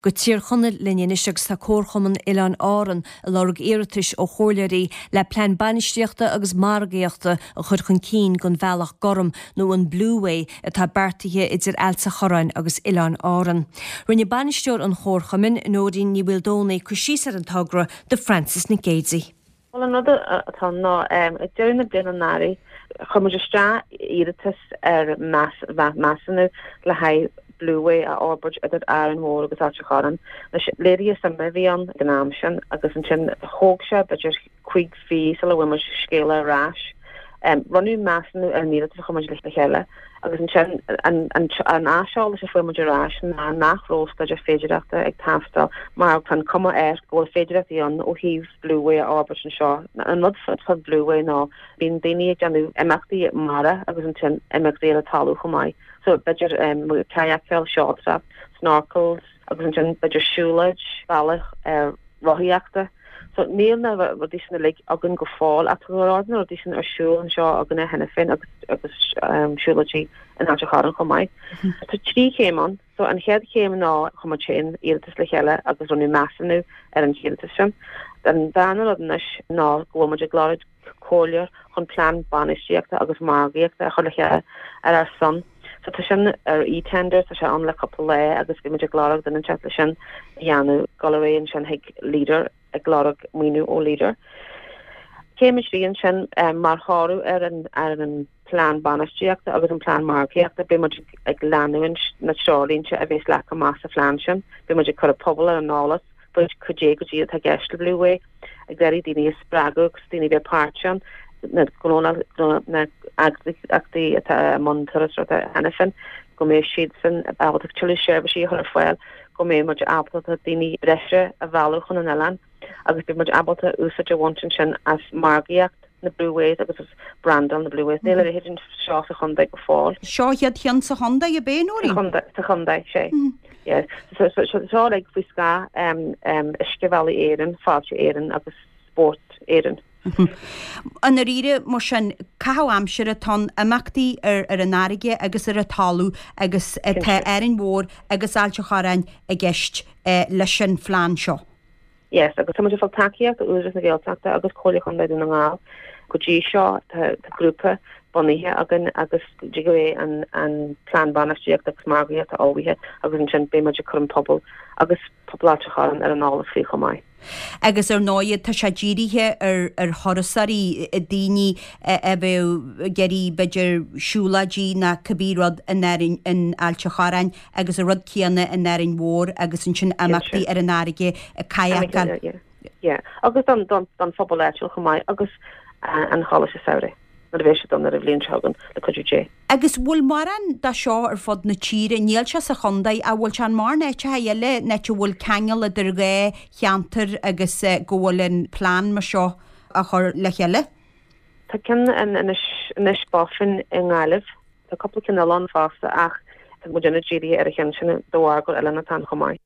Go Tír Chonaill linn anois agus tá Comharchumann Oileáin Árann ag lorg iarratais ó chomhairleoirí le plean bainistíochta agus margaíochta a chur chun cinn don Bhealach Gorm nó an Blueway atá beartaithe idir Ailt a' Chorráin agus Oileáin Árann. Rinne bainisteoir an Chomharchumainn, Nóirín Ní Mhaoldomhnaigh, cur síos ar an togra do Frances Nic Géadaigh. Bhuel, an rud atá ann ná, ag deireadh na bliana anuraidh, chuir muid isteach iarratas ar measúnú le haghaidh Blueway a fhorbairt idir Árainn Mhór agus Ailt a' Chorráin. Anois, léirithe suime a bhí ann ag an am sin agus ansin thóg sé b'fhéidir chúig mhí sula bhfuair muid scéala ar ais. Rinneadh measúnú ar an iarratas a chuir muid le chéile agus ansin an aiseolas a fuair muid ar ais ná nach raibh staidéar féidearthachta ag teastáil mar tá an cuma air go bhfuil féidearthachtaí ann ó thaobh Blueway a fhorbairt anseo. An rud faoi Blueway ná bíonn daoine ag déanamh imeachtaí mara agus ansin imeachtaí ar an talamh chomh maith. So b'fhéidir kayakáil, seoltóireacht, snorkels agus ansin b'fhéidir siúlóid, bealach rothaíochta. So níl na rudaí sin uilig againn go fóill ach tá go leor de na rudaí sin ar siúl anseo againne cheana féin agus agus siúlóidí in Ailt a' Chorráin chomh maith. Tá trí chéim ann. So an chéad chéim ná chuir muid féin iarratas le chéile agus rinneadh measúnú ar an iarratas sin. An darna rud anois ná go bhfuil muid ag lorg comhairleoir chun plean bainistíochta agus margaíochta a chur le chéile ar ár son. So tá sin ar eTender, tá sé ann le cúpla lá agus bhí muid ag lorg duine inteacht le sin a dhéanamh, dul ar aghaidh ansin chuig Leader ag lorg maoiniú ó Leader. Céim a trí ansin mar thoradh ar an ar an plean bainistíochta agus an plean margaíochta, beidh muid ag leanúint na treoirlínte a bheas leagtha amach sa phlean sin. Beidh muid ag cur an pobal ar an eolas faoi cad é go díreach atá i gceist le Blueway, ag iarraidh daoine a spreagadh agus daoine a bheith páirteach ann, na gnónna, na heagraíochtaí atá i mbun turasóireachta cheana féin, go mbeidh siadsan ábalta tuilleadh seirbhísí a chur ar fáil, go mbeidh muid ábalta daoine breise a mhealladh chun an oileáin agus beidh muid ábalta úsáid a bhaint ansin as margaíocht na Blueways agus as brandáil na Blueways. Níl a leithéid anseo sa chontae go fóill. Seo an chéad cheann sa chontae, ab é, Nóirín? Sa chontae, sé. Yeah. So seo uilig faoi scáth Uiscebhealaí Éireann, Fáilte Éireann agus Spórt Éireann. I ndáiríre, mar sin, caitheamh aimsire atá ann, imeachtaí ar an fharraige agus ar an talamh agus tá Árainn Mhór agus Ailt an Chorráin i gceist leis an phlean seo. Yes, agus tá muid ag fáil tacaíocht ó Údarás na Gaeltachta agus Comhairle Chontae Dhún na nGall. Go dtí seo tá grúpa bunaithe againn agus go dtí go mbeidh an an plean bainistíochta agus margaíochta ullmhaithe agus ansin beidh muid ag cur an pobal agus pobal Ailt an Chorráin ar an eolas faoi chomh maith. Agus ar ndóighe tá sé dírithe ar ar thurasóirí, daoine a bheadh ag iarraidh b'fhéidir siúlóidí ná cibé rud in Árainn in Ailt an Chorráin agus an rud céanna in Árainn Mhór agus ansin imeachtaí ar an fharraige, kayakáil. Yeah, agus don don don phobal áitiúil chomh maith agus an Choláiste Samhraidh nuair a bheidh siad ann ar an bhliain seo chugainn le cuidiú Dé. Agus bhfuil mórán de seo ar fud na tíre? Níl sé sa chontae ach bhfuil sé in mórán áiteacha eile, in áit a bhfuil ceangal idir dhá cheantar agus go bhfuil an plean mar seo á chur le chéile? Tá ceann in Inis Inis Bofin i nGaillimh. Tá cúpla ceann eile ann fosta ach tá muidinne dírithe ar an cheann sin de bharr gur oileán atá ann chomh maith.